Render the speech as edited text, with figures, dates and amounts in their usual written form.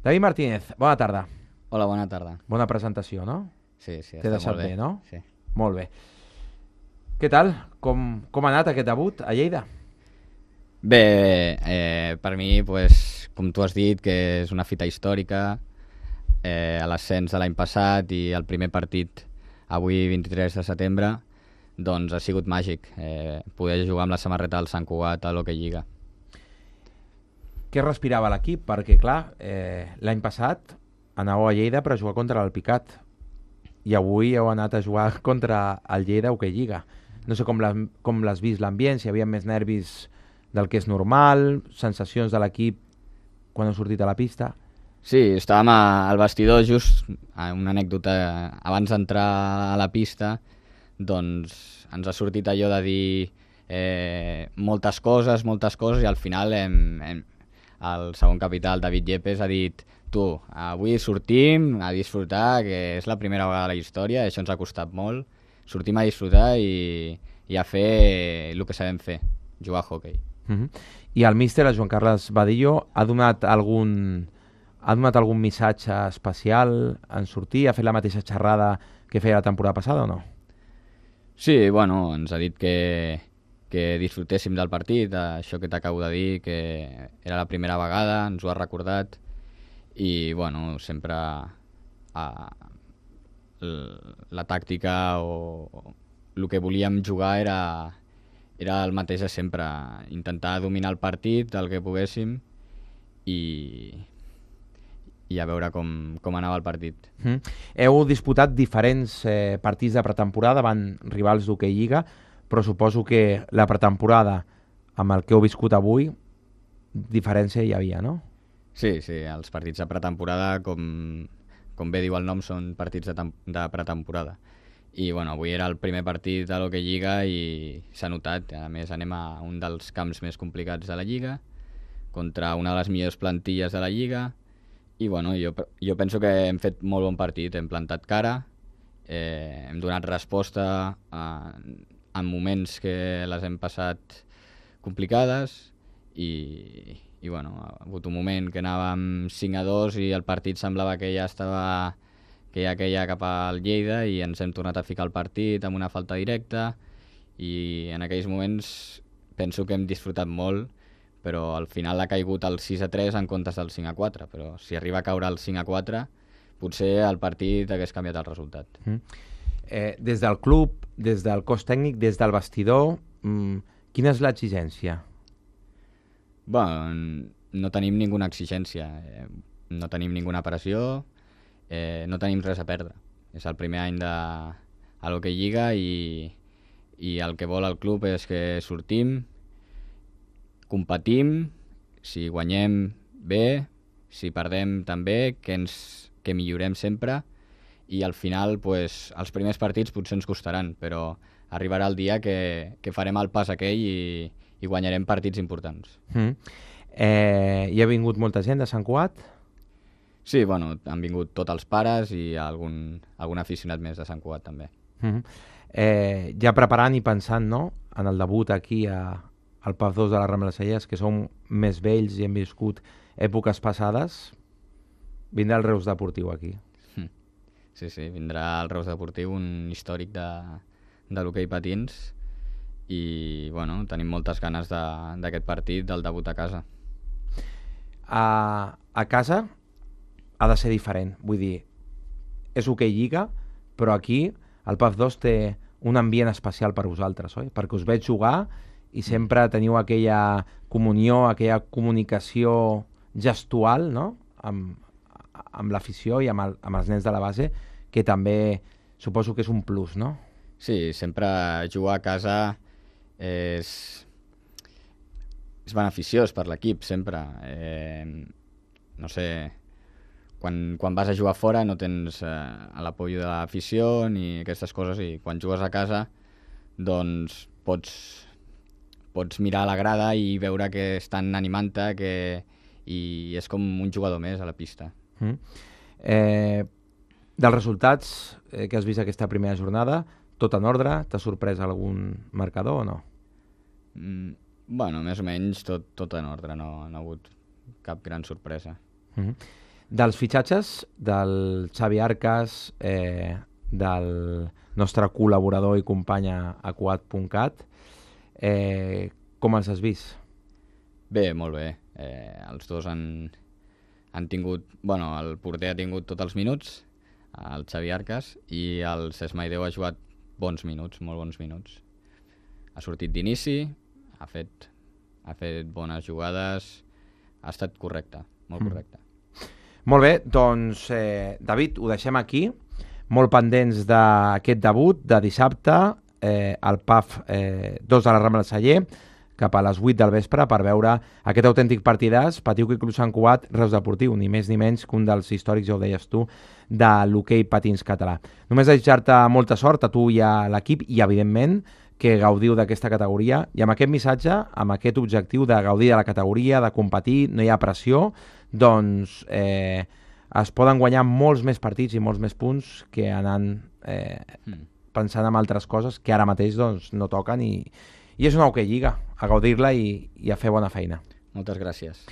David Martínez, bona tarda. Hola, bona tarda. Bona presentació, no? Sí, T'he està deixat molt bé. bé, no? Sí. Molt bé. Què tal? Com ha anat aquest debut a Lleida? Bé, per mi, pues, com tu has dit, que és una fita històrica, a l'ascens de l'any passat i el primer partit avui, 23 de setembre, doncs ha sigut màgic. Poder jugar amb la samarreta del Sant Cugat a l'Hockey Lliga. Què respirava l'equip? Perquè, clar, l'any passat anàveu a Lleida per a jugar contra l'Alpicat i avui heu anat a jugar contra el Lleida Hockey Lliga. No sé com l'has vist l'ambient, si hi havia més nervis del que és normal, sensacions de l'equip quan heu sortit a la pista. Sí, estàvem al vestidor just, una anècdota, abans d'entrar a la pista, doncs ens ha sortit allò de dir moltes coses, i al final el segon capità, el David Yepes, ha dit tu, avui sortim a disfrutar, que és la primera vegada a la història, això ens ha costat molt, sortim a disfrutar i a fer el que sabem fer, jugar a hoquei. I el míster, el Joan Carles Badillo, ha donat algun missatge especial en sortir? Ha fet la mateixa xerrada que feia la temporada passada o no? Sí, bueno, ens ha dit que disfrutéssim del partit, això que t'acabo de dir, que era la primera vegada, ens ho ha recordat, i bueno, sempre la tàctica o el que volíem jugar era el mateix de sempre, intentar dominar el partit del que poguéssim i a veure com anava el partit. Heu disputat diferents partits de pretemporada davant rivals d'hoquei Lliga, però suposo que la pretemporada amb el que heu viscut avui, diferència hi havia, no? Sí, els partits de pretemporada, com bé diu el nom, són partits de pretemporada. I bueno, avui era el primer partit de l'Hockey Lliga i s'ha notat. A més, anem a un dels camps més complicats de la Lliga, contra una de les millors plantilles de la Lliga, i bueno, jo penso que hem fet molt bon partit, hem plantat cara, hem donat resposta en moments que les hem passat complicades i bueno, ha hagut un moment que anàvem 5-2 i el partit semblava que ja queia cap al Lleida i ens hem tornat a ficar al partit amb una falta directa i en aquells moments penso que hem disfrutat molt, però al final ha caigut el 6-3 en comptes del 5-4, però si arriba a caure el 5-4 potser el partit hagués canviat el resultat. Des del club, des del cos tècnic, des del vestidor, quina és l'exigència? Bueno, no tenim ninguna exigència, no tenim ninguna pressió, no tenim res a perdre. És el primer any a l'Hockey Lliga i el que vol el club és que sortim, competim, si guanyem bé, si perdem també, que millorem sempre i al final pues, els primers partits potser ens costaran, però arribarà el dia que farem el pas aquell i guanyarem partits importants. Hi ha vingut molta gent de Sant Cugat? Sí, bueno, han vingut tots els pares i algun aficionat més de Sant Cugat també. Ja preparant i pensant, no?, en el debut aquí al PAF 2 de la Rambla Cellers, que som més vells i hem viscut èpoques passades, vindrà el Reus Deportiu aquí. Sí, vindrà el Reus Deportiu, un històric de l'hoquei patins i bueno, tenim moltes ganes d'aquest partit, del debut a casa. A casa ha de ser diferent, vull dir, és hoquei Lliga, però aquí el PAF 2 té un ambient especial per vosaltres, oi? Perquè us veig jugar i sempre teniu aquella comunió, aquella comunicació gestual, no?, amb l'afició i amb els nens de la base, que també suposo que és un plus, no? Sí, sempre jugar a casa és beneficiós per l'equip, sempre. No sé, quan vas a jugar fora no tens l'apoyo de l'afició ni aquestes coses i quan jugues a casa doncs pots mirar a la grada i veure que estan animant-te i és com un jugador més a la pista. Dels resultats que has vist aquesta primera jornada, tot en ordre? T'ha sorprès algun marcador o no? Bueno, més o menys tot en ordre, no ha hagut cap gran sorpresa. Dels fitxatges del Xavi Arcas, del nostre col·laborador i company a Quad.cat, com els has vist? Bé, molt bé. Els dos han tingut... Bueno, el porter ha tingut tots els minuts, el Xavi Arcas, i el Cesc Maideu ha jugat bons minuts, molt bons minuts. Ha sortit d'inici, ha fet bones jugades, ha estat correcte, molt correcte. Molt bé, doncs, David, ho deixem aquí. Molt pendents d'aquest debut de dissabte, al PAF 2 de la Rambla del Celler, cap a les 8 del vespre, per veure aquest autèntic partidàs, Patiuc i Club Sant Cugat, Reus Deportiu, ni més ni menys que un dels històrics, ja ho deies tu, de l'hoquei patins català. Només desitjar-te molta sort a tu i a l'equip i, evidentment, que gaudiu d'aquesta categoria, i amb aquest missatge, amb aquest objectiu de gaudir de la categoria, de competir, no hi ha pressió, doncs es poden guanyar molts més partits i molts més punts que anant pensant en altres coses que ara mateix doncs, no toquen, i és una hoquei lliga, a gaudir-la i a fer bona feina. Moltes gràcies.